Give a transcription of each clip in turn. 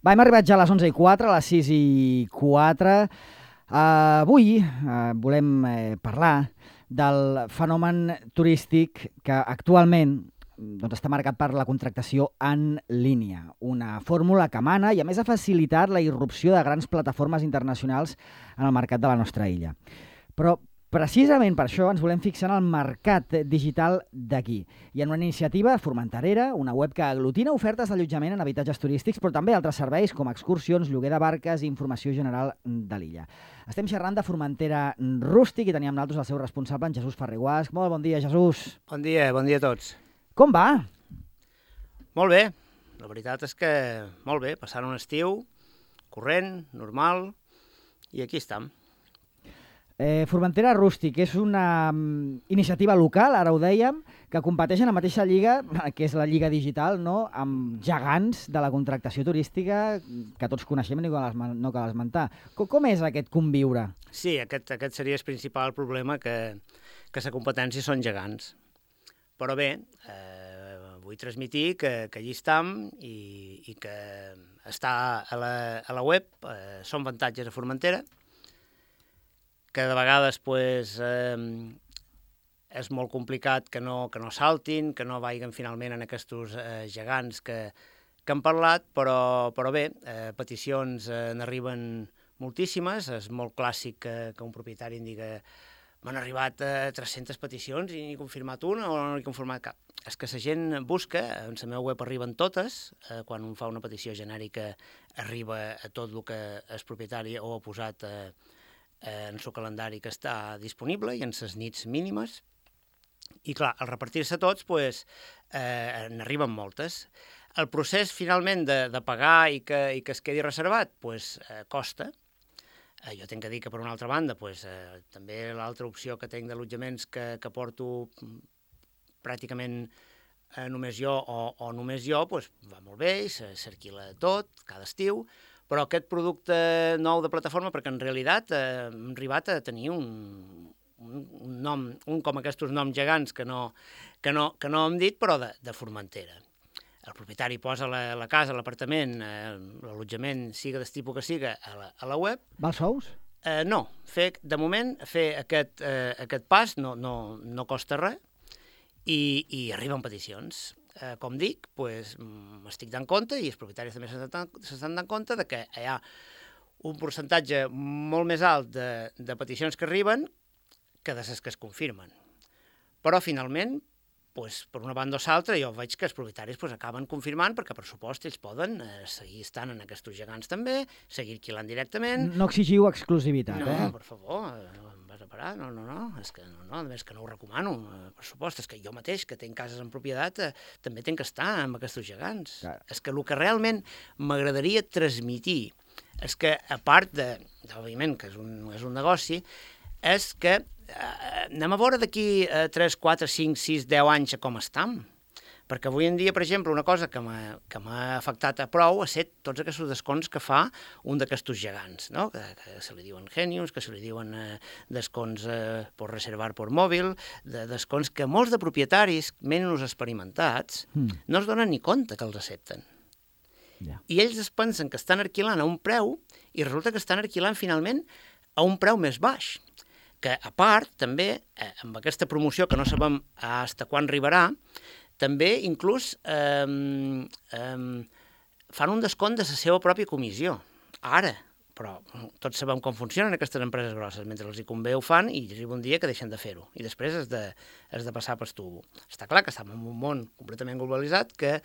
Va, hem arribat ja a les 11:04, a les 6:04. Avui volem parlar del fenomen turístic que actualment està marcat per la contractació en línia, una fórmula que mana i a més ha facilitat la irrupció de grans plataformes internacionals en el mercat de la nostra illa. Però precisament per això ens volem fixar en el mercat digital d'aquí i en una iniciativa formenterera, una web que aglutina ofertes d'allotjament en habitatges turístics, però també altres serveis com excursions, lloguer de barques i informació general de l'illa. Estem xerrant de Formentera Rústic i teníem nosaltres el seu responsable, en Jesús Ferrer-Guasch. Molt bon dia, Jesús. Bon dia a tots. Com va? Molt bé, la veritat és que molt bé, passant un estiu corrent, normal, i aquí estem. Formentera Rústic és una iniciativa local, ara ho dèiem, que competeix en la mateixa lliga, que és la Lliga Digital, no?, amb gegants de la contractació turística que tots coneixem i no cal esmentar. Com és aquest conviure? Sí, aquest seria el principal problema, que la competència són gegants. Però bé, vull transmetir que allí estem i que està a la web, són avantatges a Formentera, que de vegades és molt complicat que no saltin, que no vagin finalment en aquests gegants que han parlat, però bé, peticions n'arriben moltíssimes. És molt clàssic que un propietari em digui m'han arribat 300 peticions i n'he confirmat una o no n'he confirmat cap. És que la gent busca, en la meva web arriben totes, quan un fa una petició genèrica arriba a tot el que el propietari ho ha posat en el seu calendari que està disponible i en les nits mínimes. I clar, al repartir-se tots, n'arriben moltes. El procés, finalment, de pagar i que es quedi reservat, costa. Jo tinc que dir que, per una altra banda, també l'altra opció que tinc d'allotjaments que porto pràcticament només jo o només jo, va molt bé, s'arquila tot, cada estiu, però aquest producte nou de plataforma, perquè en realitat hem arribat a tenir un nom, com aquests noms gegants que no hem dit, però de Formentera. El propietari posa la casa, l'apartament, l'allotjament, siga del tipus que siga, a la web. Val sous? No, de moment fer aquest pas no costa res i arriben peticions. Com dic, m'estic dant compte i els propietaris també s'estan dant compte que hi ha un percentatge molt més alt de peticions que arriben que de les que es confirmen. Però, finalment, per una banda o l'altra, jo veig que els propietaris acaben confirmant perquè, per supost, ells poden seguir estant en aquests gegants també, seguir alquilant directament. No exigiu exclusivitat, No, per favor, vas a parar, no, és que no, a més que no ho recomano, per supost, és que jo mateix, que tinc cases en propietat, també tinc que estar amb aquests gegants. Clar. És que el que realment m'agradaria transmetir és que, a part òbviament, que és un negoci, és que anem a veure d'aquí 3, 4, 5, 6, 10 anys com estem. Perquè avui en dia, per exemple, una cosa que m'ha afectat a prou ha set tots aquests descomptes que fa un d'aquests gegants, no? Que se li diuen Genius, que se li diuen descomptes per reservar per mòbil, descomptes que molts de propietaris, menys experimentats, no es donen ni compte que els accepten. Yeah. I ells es pensen que estan alquilant a un preu i resulta que estan alquilant finalment a un preu més baix. Que, a part, també, amb aquesta promoció que no sabem fins quan arribarà, també inclús fan un descompte de la seva pròpia comissió. Ara, però tots sabem com funcionen aquestes empreses grosses. Mentre els hi convé ho fan i arriba un dia que deixen de fer-ho. I després has de passar pel tubo. Està clar que estem en un món completament globalitzat que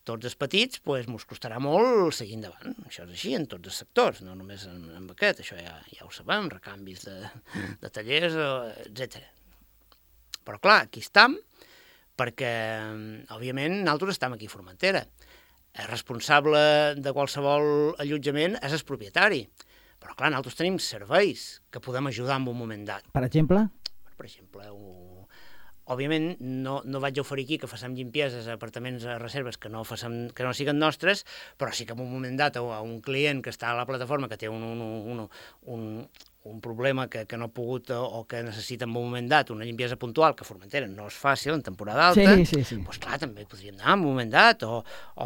tots els petits ens costarà molt seguir endavant. Això és així en tots els sectors, no només en aquest, això ja ho sabem, recanvis de tallers, etc. Però clar, aquí estem, perquè, òbviament, nosaltres estem aquí a Formentera. El responsable de qualsevol allotjament és el propietari. Però clar, nosaltres tenim serveis que podem ajudar en un moment dat. Per exemple? Per exemple, òbviament, no vaig oferir aquí que facem llimpieses a apartaments a reserves que no siguin nostres, però sí que en un moment dat a un client que està a la plataforma que té un un problema que no ha pogut o que necessita en un moment dat una limpiesa puntual, que a Formentera no és fàcil en temporada alta, doncs clar, també podríem anar en un moment dat, o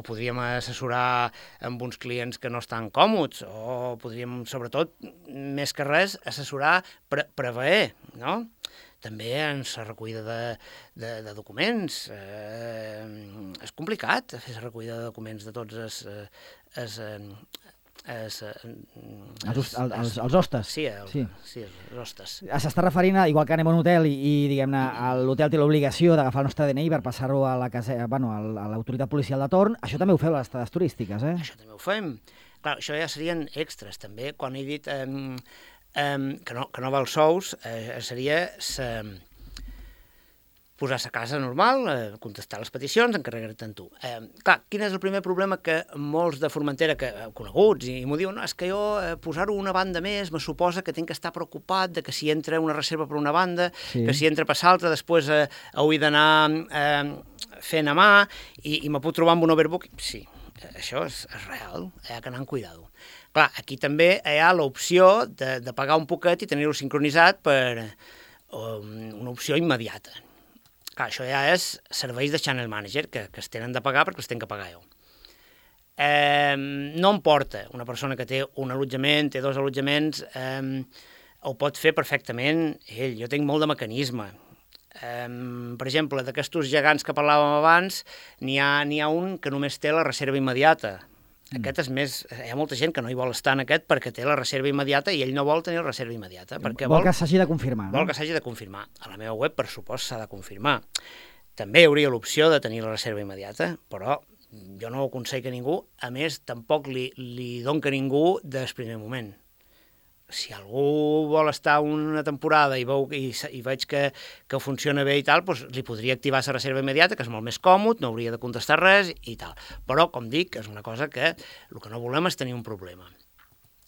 podríem assessorar amb uns clients que no estan còmodes, o podríem, sobretot, més que res, assessorar, preveer, no? També en la recollida de documents. És complicat fer la recollida de documents de tots els hostes. Sí, els hostes. S'està referint a, igual que anem a un hotel i diguem-ne, l'hotel té l'obligació d'agafar el nostre DNI per passar-ho a l'autoritat policial de torn. Això també ho feu a les estades turístiques, eh? Això també ho fem. Clar, això ja serien extras, també. Quan he dit que no val sous, seria posar la casa normal, contestar les peticions, encarregar-te'n tu. Clar, quin és el primer problema que molts de Formentera, coneguts, i m'ho diuen, és que jo posar-ho una banda més me suposa que tinc que estar preocupat de que si entra una reserva per una banda, que si entra per l'altra, després ho he d'anar fent a mà i me puc trobar amb un overbooking. Sí, això és real, hi ha que anar amb cuidado. Clar, aquí també hi ha l'opció de pagar un poquet i tenir-ho sincronitzat per una opció immediata. Clar, això ja és serveis de channel manager que es tenen de pagar perquè els tenen que pagar jo. No em porta una persona que té un allotjament, té 2 allotjaments, ho pot fer perfectament ell. Jo tinc molt de mecanisme. Per exemple, d'aquests gegants que parlàvem abans, n'hi ha un que només té la reserva immediata. Aquest és més... Hi ha molta gent que no hi vol estar en aquest perquè té la reserva immediata i ell no vol tenir la reserva immediata. Vol que s'hagi de confirmar, no? Vol que s'hagi de confirmar. A la meva web, per supost, s'ha de confirmar. També hi hauria l'opció de tenir la reserva immediata, però jo no ho aconsello a ningú. A més, tampoc li dono a ningú del primer moment. Si algú vol estar una temporada i veig que funciona bé i tal, doncs li podria activar la reserva immediata, que és molt més còmode, no hauria de contestar res i tal. Però, com dic, és una cosa que el que no volem és tenir un problema.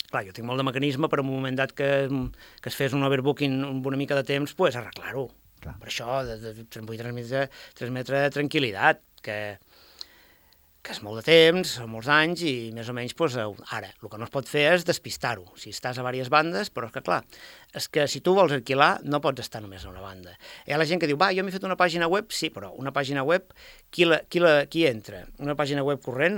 Clar, jo tinc molt de mecanisme per un moment dat que es fes un overbooking amb una mica de temps, doncs arreglar-ho. Per això vull transmetre tranquil·litat, que és molt de temps, són molts anys i més o menys, ara, el que no es pot fer és despistar-ho. Si estàs a diverses bandes, però és que clar, és que si tu vols alquilar no pots estar només a una banda. Hi ha la gent que diu, jo m'he fet una pàgina web, sí, però una pàgina web, qui entra? Una pàgina web corrent,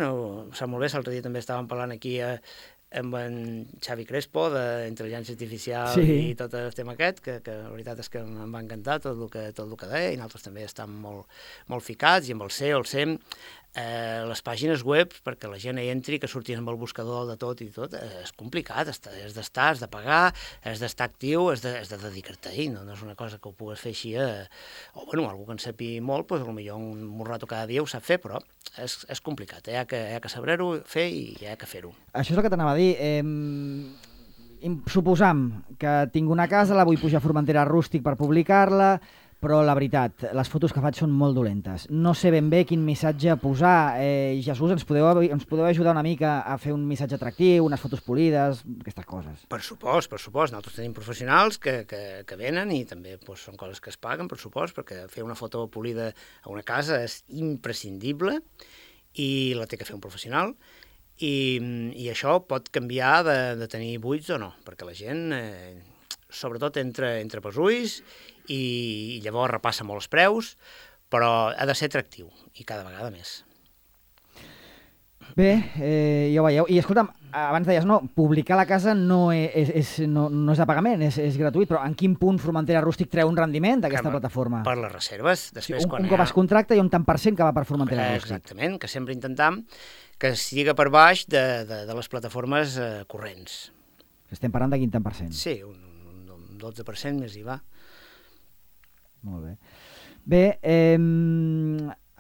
sap molt bé, l'altre dia també estàvem parlant aquí amb en Xavi Crespo d'intel·ligència artificial i tot el tema aquest, que la veritat és que em va encantar tot el que deia, i nosaltres també estem molt ficats, i amb el SEO, el SEM, les pàgines web, perquè la gent hi entri, que surtis amb el buscador de tot i tot, és complicat, has de pagar, has d'estar actiu, has de dedicar-te-hi, no és una cosa que ho pugues fer així, o algú que en sapi molt, potser un rato cada dia ho sap fer, però és complicat, hi ha que saber-ho fer i hi ha que fer-ho. Això és el que t'anava a dir, suposam que tinc una casa, la vull pujar a Formentera Rústic per publicar-la, però la veritat, les fotos que faig són molt dolentes. No sé ben bé quin missatge posar. Jesús, ens podeu ajudar una mica a fer un missatge atractiu, unes fotos polides, aquestes coses? Per supost. Nosaltres tenim professionals que venen i també són coses que es paguen, per supost, perquè fer una foto polida a una casa és imprescindible i la té que fer un professional. I això pot canviar de tenir buits o no, perquè la gent, sobretot, entra pels ulls i llavors repassa molt els preus, però ha de ser atractiu, i cada vegada més. Bé, ja ho veieu. I escolta'm, abans deies, publicar la casa no és de pagament, és gratuït, però en quin punt Formentera Rústic treu un rendiment d'aquesta plataforma? Per les reserves. Després, un cop es contracta hi ha un tant per cent que va per Formentera Rústic. Exactament, que sempre intentam que siga per baix de les plataformes corrents. Estem parlant de quin tant per cent? Sí, un 12% més IVA. Molt bé. Bé,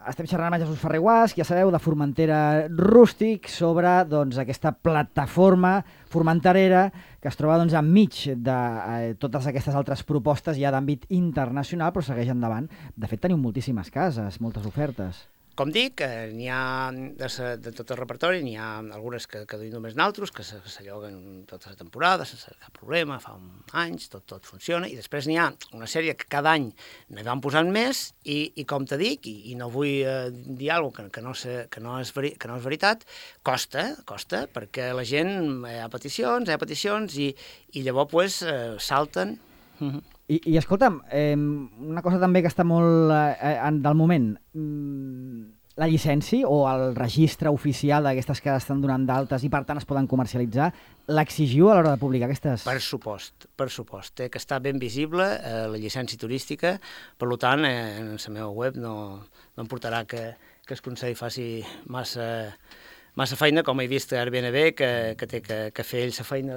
estem xerrant amb Jesús Ferrer Guasch, ja sabeu, de Formentera Rústic, sobre aquesta plataforma formenterera que es troba enmig de totes aquestes altres propostes ja d'àmbit internacional, però segueix endavant. De fet, teniu moltíssimes cases, moltes ofertes. Com dic, n'hi ha de tot el repertori, n'hi ha algunes que duim només naltros, que s'alloguen tota la temporada, sense cap problema, fa anys, tot funciona, i després n'hi ha una sèrie que cada any ne van posant més, i com te dic, i no vull dir alguna cosa que no és veritat, costa, perquè la gent, hi ha peticions, i llavors pues, salten. I escolta'm, una cosa també que està molt del moment, la llicència o el registre oficial d'aquestes que estan donant d'altes i per tant es poden comercialitzar, l'exigiu a l'hora de publicar aquestes? Per supost, que està ben visible la llicència turística, per tant, en la meva web no em portarà que el Consell faci massa feina, com he vist a Airbnb, que té que fer ell la feina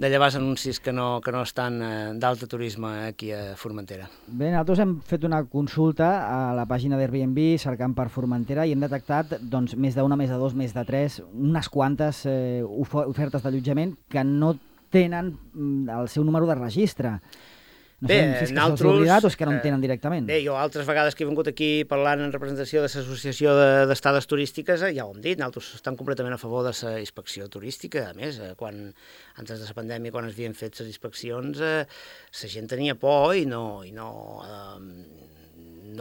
de llevar els anuncis que no estan d'alta turisme aquí a Formentera. Bé, nosaltres hem fet una consulta a la pàgina d'Airbnb cercant per Formentera i hem detectat doncs, més d'una, més de dos, més de tres, unes quantes ofertes d'allotjament que no tenen el seu número de registre. No sé si és que se'ls ha oblidat o és que no en tenen directament. Bé, jo altres vegades que he vingut aquí parlant en representació de l'Associació d'Estades Turístiques, ja ho hem dit, nosaltres estem completament a favor de la inspecció turística. A més, antes de la pandèmia, quan es havien fet les inspeccions, la gent tenia por i no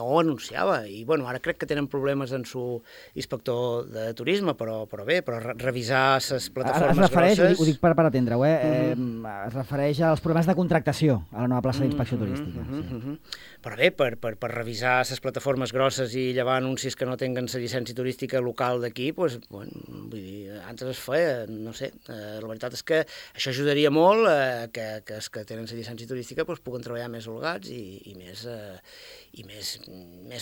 ho anunciava, i bueno, ara crec que tenen problemes en su inspector de turisme, però revisar les plataformes grosses... Ho dic per atendre-ho, es refereix als problemes de contractació a la nova plaça d'inspecció turística. Però bé, per revisar les plataformes grosses i llevar anuncis que no tenen la llicència turística local d'aquí, doncs, bueno, vull dir, antes es feia, no sé, la veritat és que això ajudaria molt que els que tenen la llicència turística doncs, puguen treballar més holgats i més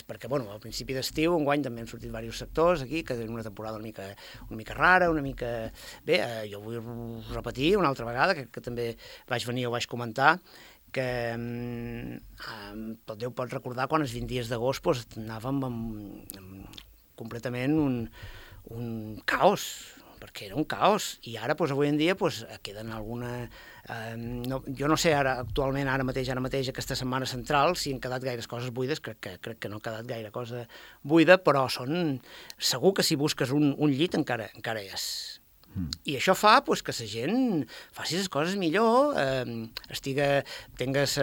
perquè, bueno, al principi d'estiu, enguany també han sortit diversos sectors aquí, que tenen una temporada una mica rara, una mica... Bé, jo vull repetir una altra vegada, que també vaig venir o vaig comentar, que Déu pot recordar quan els 20 dies d'agost doncs, anàvem completament un caos, perquè era un caos, i ara, doncs, avui en dia, doncs, queden alguna... jo no sé ara mateix, aquesta setmana central, si han quedat gaires coses buides, crec que no ha quedat gaire cosa buida, però segur que si busques un llit encara és. I això fa doncs, que la gent faci les coses millor, tingues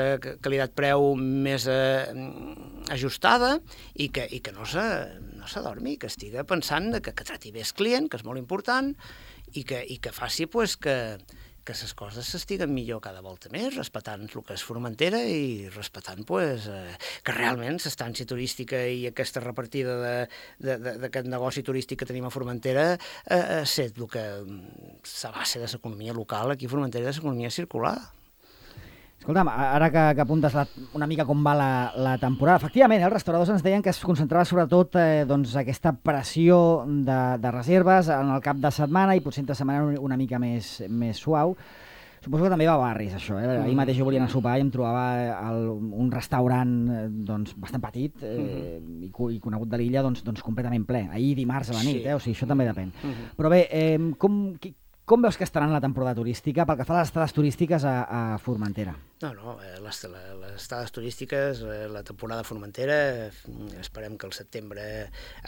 qualitat-preu més ajustada i que no s'adormi, que estigui pensant que trati bé el client, que és molt important, i que faci doncs, que les coses s'estiguen millor cada volta més, respectant el que és Formentera i respectant que realment l'estància turística i aquesta repartida d'aquest negoci turístic que tenim a Formentera és el que la base de l'economia local aquí a Formentera, de l'economia circular. Escolta'm, ara que apuntes una mica com va la temporada, efectivament, els restauradors ens deien que es concentrava sobretot aquesta pressió de reserves en el cap de setmana i potser entre setmana una mica més suau. Suposo que també va a barris, això. Ahir mateix jo volia anar a sopar i em trobava un restaurant bastant petit i conegut de l'illa completament ple. Ahir dimarts a la nit, o sigui, això també depèn. Però bé, com veus que estaran la temporada turística pel que fa a les estades turístiques a Formentera? No, les estades turístiques, la temporada a Formentera, esperem que al setembre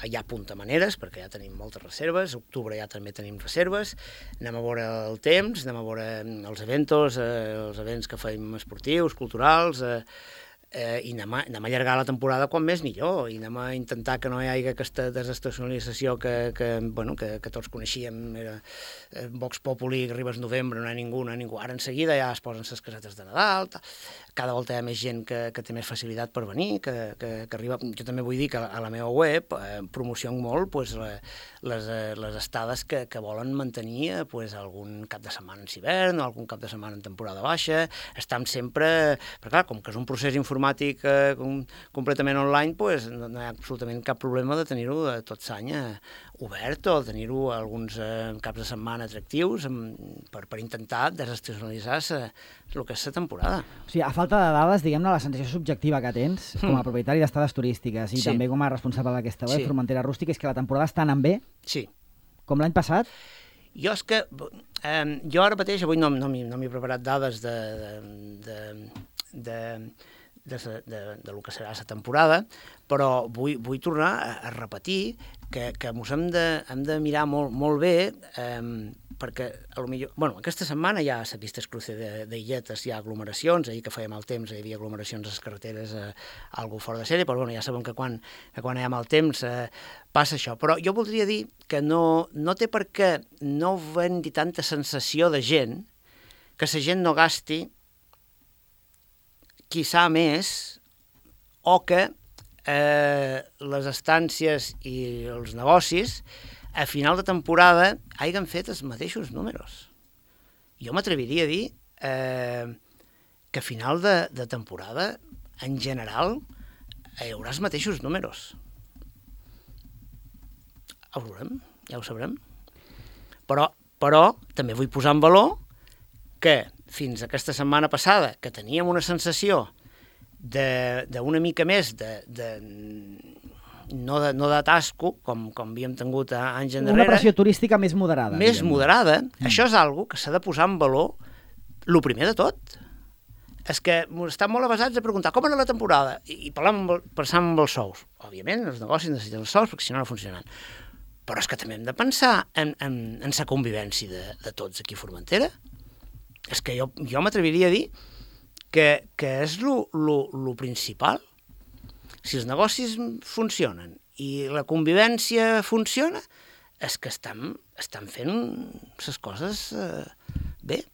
hi ha maneres, perquè ja tenim moltes reserves, a octubre ja també tenim reserves, anem a veure el temps, anem a veure els events que fem esportius, culturals, i anem a allargar la temporada quan més millor, i anem a intentar que no hi hagi aquesta desestacionalització que tots coneixíem, era Vox Populi, arribes novembre, no hi ha ningú, ara en seguida ja es posen les casetes de Nadal, cada volta hi ha més gent que té més facilitat per venir, que arriba. Jo també vull dir que a la meva web promociono molt les estades que volen mantenir algun cap de setmana en hivern o algun cap de setmana en temporada baixa, estem sempre, perquè clar, com que és un procés informàtic completament online, no hi ha absolutament cap problema de tenir-ho tot l'any obert o tenir-ho alguns caps de setmana atractius per intentar desestacionalitzar el que és la temporada. O sigui, a falta de dades, diguem-ne, la sensació subjectiva que tens com a propietari d'estades turístiques i també com a responsable d'aquesta web, Formentera Rústica, és que la temporada està anant bé? Sí. Com l'any passat? Jo és que... jo ara mateix, avui no m'he preparat dades lo que serà la temporada, però vull tornar a repetir que ens hem de mirar molt bé, perquè aquesta setmana ja s'ha vist el cruce d'illetes, hi ha aglomeracions, ahir que feia mal temps hi havia aglomeracions a les carreteres, algo fora de sèrie, però ja sabem que quan hi ha mal temps passa això. Però jo voldria dir que no té per què no venir tanta sensació de gent, que la gent no gasti quizà més, o que les estàncies i els negocis a final de temporada hagin fet els mateixos números. Jo m'atreviria a dir que a final de temporada, en general, hi haurà els mateixos números. Ho veurem, ja ho sabrem. Però també vull posar en valor que fins aquesta setmana passada, que teníem una sensació d'una mica més no d'atasco, com havíem tingut anys enrere. Una pressió turística més moderada. Més moderada. Això és algo que s'ha de posar en valor el primer de tot. És que estan molt avasats a preguntar com era la temporada i pensant en els sous. Òbviament, els negocis necessiten els sous perquè si no funcionen. Però és que també hem de pensar en la convivència de tots aquí a Formentera. És que jo m'atreviria a dir que és lo principal. Si els negocis funcionen i la convivència funciona, és que estan fent les coses bé.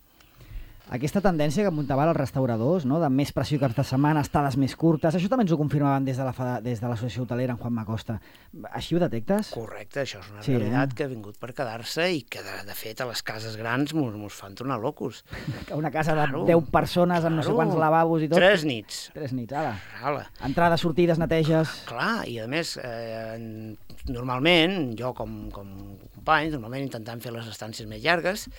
Aquesta tendència que apuntaven els restauradors, no? De més pressió caps de setmana, estades més curtes, això també ens ho confirmaven des de l'associació hotelera en Juan Macosta. Així ho detectes? Correcte, això és una realitat que ha vingut per quedar-se i que, de fet, a les cases grans mos fan tornar locos. Una casa de 10 persones amb no sé quants lavabos i tot. 3 nits. 3 nits, ara. Entrades, sortides, neteges... Clar, i a més, normalment, jo com company, normalment intentant fer les estàncies més llargues,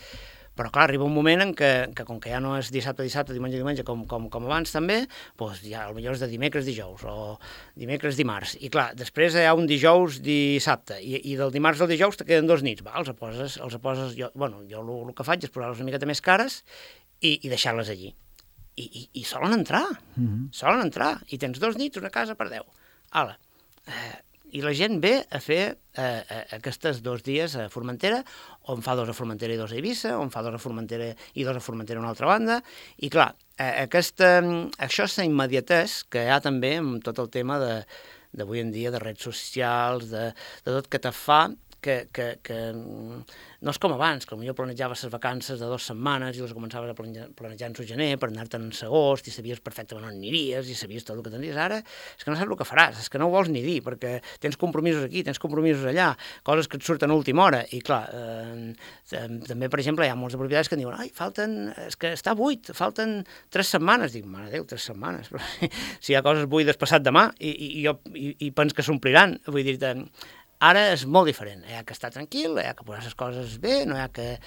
però clar, arriba un moment en què com que ja no és dissabte, diumenge, com abans també, doncs ja potser és de dimecres-dijous o dimecres-dimarts. I clar, després hi ha un dijous-dissabte i del dimarts al dijous te queden 2 nits. Els poses jo el que faig és posar-les una miqueta més cares i deixar-les allí. I solen entrar, i tens 2 nits, una casa per 10. Hala. I la gent ve a fer aquests 2 dies a Formentera, on fa 2 a Formentera i 2 a Eivissa, on fa 2 a Formentera i 2 a Formentera a una altra banda, i clar, això és la immediatesa que hi ha també amb tot el tema d'avui en dia, de redes socials, de tot que te fa que no és com abans, que potser planejaves les vacances de 2 setmanes i les començaves a planejar en gener per anar-te'n en agost i sabies perfectament on aniries i sabies tot el que tenies. Ara és que no saps el que faràs, és que no ho vols ni dir perquè tens compromisos aquí, tens compromisos allà, coses que et surten a última hora i clar, també per exemple hi ha molts de propietaris que diuen és que està buit, falten 3 setmanes. Dic, mare Déu, 3 setmanes, però si hi ha coses buides passat demà i pens que s'ompliran, vull dir, ara és molt diferent, hi ha que estar tranquil, hi ha que posar les coses bé, no hi ha que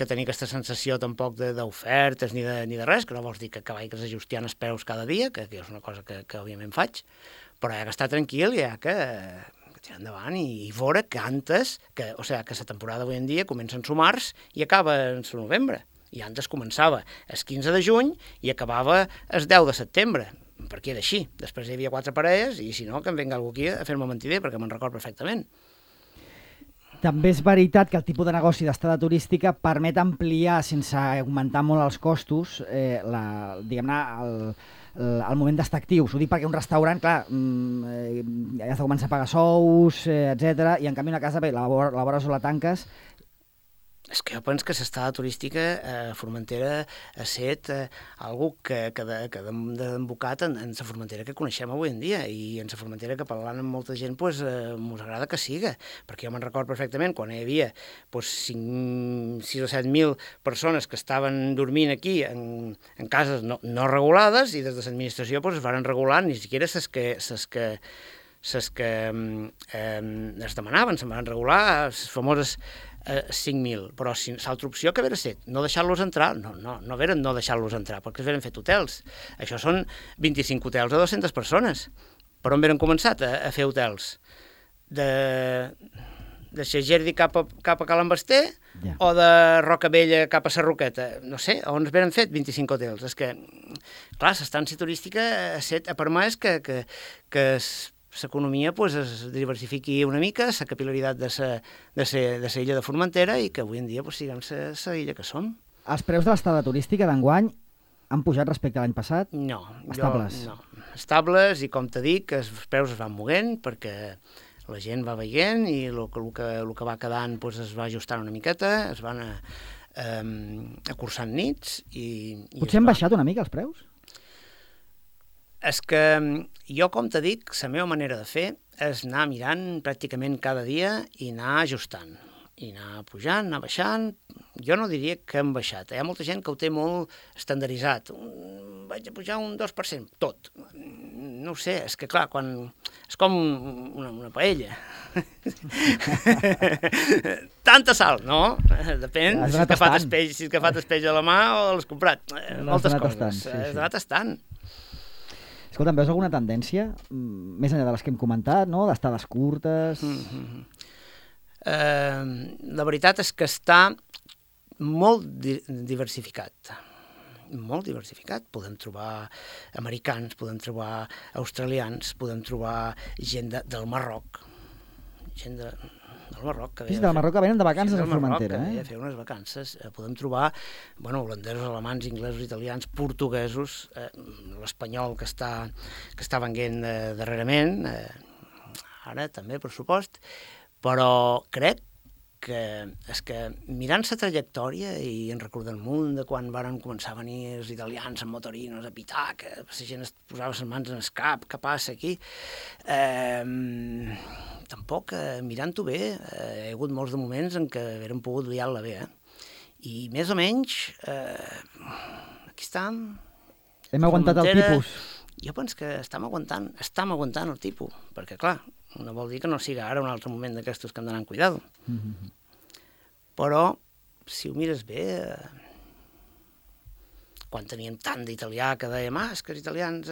tenir aquesta sensació tampoc d'ofertes ni de res, que no vols dir que vagis ajustant els preus cada dia, que és una cosa que òbviament faig, però hi ha que estar tranquil i hi ha que tirar endavant i veure que antes, que la temporada avui en dia comença en març i acaba en novembre, i antes començava el 15 de juny i acabava el 10 de setembre, perquè era així. Després hi havia 4 parelles i si no, que em venga algú aquí a fer-me mentider, perquè me'n record perfectament. També és veritat que el tipus de negoci d'estada turística permet ampliar, sense augmentar molt els costos, diguem-ne, el moment d'estar actius. Ho dic perquè un restaurant, clar, has de començar a pagar sous, etc. I en canvi una casa, bé, la vora o la tanques. És que jo penso que l'estada turística a Formentera ha estat algo que ha desembocat en la Formentera que coneixem avui en dia i en la Formentera que parlant amb molta gent mos agrada que siga, perquè jo me'n record perfectament quan hi havia 6 o 7.000 persones que estaven dormint aquí en cases no regulades i des de l'administració es van regular ni siquiera les que es demanaven, se'n van regular les famoses 5.000, però l'altra opció que haver estat no deixar-los entrar, no haver no deixar-los entrar, perquè es veren fet hotels. Això són 25 hotels a 200 persones. Per on veren començat a fer hotels? De Xagerdi cap a Cal Embasté o de Roca Vella cap a Sarroqueta? No sé, on es veren fet 25 hotels? És que clar, l'estància turística ha permès que l'economia es diversifiqui una mica, la capil·laritat de la illa de Formentera i que avui en dia siguem la illa que som. Els preus de l'estada turística d'enguany han pujat respecte a l'any passat? No. Estables? No. Estables, i com t'he dit, els preus es van movent perquè la gent va veient i el que va quedant es va ajustant una miqueta, es van acursant nits i potser han baixat una mica els preus? És que jo, com t'he dit, la meva manera de fer és anar mirant pràcticament cada dia i anar ajustant, i anar pujant, anar baixant. Jo no diria que hem baixat. Hi ha molta gent que ho té molt estandarditzat. Vaig a pujar un 2%, tot. No ho sé, és que clar, és com una paella. Tanta sal, no? Depèn si has agafat el peix a la mà o l'has comprat. Moltes coses. Has anat tastant. Escolta'm, veus alguna tendència, més enllà de les que hem comentat, no? D'estades curtes... La veritat és que està molt diversificat. Molt diversificat. Podem trobar americans, podem trobar australians, podem trobar gent del Marroc. Gent del Marroc que ve del Marroc que venen de vacances a Formentera. Que ve a fer unes vacances. Podem trobar holandesos, alemans, inglesos, italians, portuguesos, l'espanyol que està venent darrerament, ara també, per supost, però crec que és que mirant la trajectòria i en recordant munt de quan varen començar a venir els italians amb motorinos a pitar, que la gent es posava les mans en el cap, què passa aquí? Tampoc, mirant-ho bé, hi ha hagut molts de moments en què haguérem pogut liar-la bé, I més o menys, aquí estem. Hem aguantat el tipus. Jo penso que estem aguantant el tipus, perquè clar, no vol dir que no siga ara un altre moment d'aquestos que hem d'anar amb cuidado. Però, si ho mires bé, quan teníem tant d'italià que dèiem, és que els italians,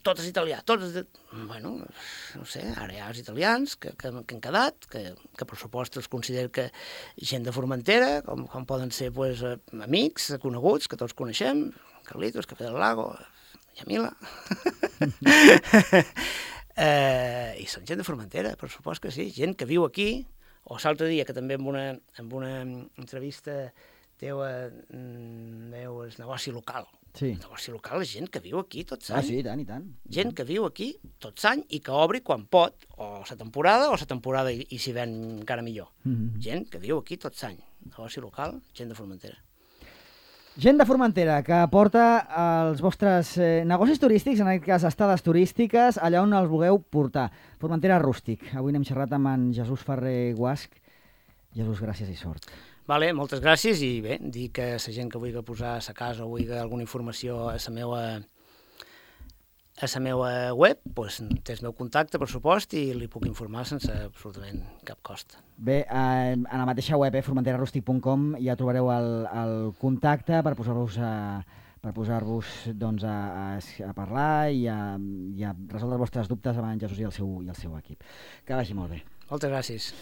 tot és italià, Bueno, no sé, ara hi ha els italians que han quedat, que per supost els considero que gent de Formentera, com poden ser amics, coneguts, que tots coneixem, Carlitos, Café del Lago, Yamila... I són gent de Formentera, per supost que sí, gent que viu aquí, o l'altre dia que també en una entrevista teva veu el negoci local. Sí. El negoci local és gent que viu aquí tot l'any. Sí, i tant. Gent que viu aquí tot l'any i que obri quan pot, o la temporada i s'hi ven encara millor. Gent que viu aquí tot l'any. Negoci local, gent de Formentera. Gent de Formentera que porta els vostres negocis turístics, en aquest cas estades turístiques, allà on els vulgueu portar. Formentera Rústic. Avui n'hem xerrat amb en Jesús Ferrer Guasch. Jesús, gràcies i sort. Vale, moltes gràcies i bé, dir que la gent que vulgui posar a sa casa o vulgui alguna informació a la meva web, té el meu contacte, per supost, i li puc informar sense absolutament cap cost. Bé, a la mateixa web, formenterarústic.com, ja trobareu el contacte per posar-vos a parlar i a resoldre els vostres dubtes amb en Jesús i el seu equip. Que vagi molt bé. Moltes gràcies.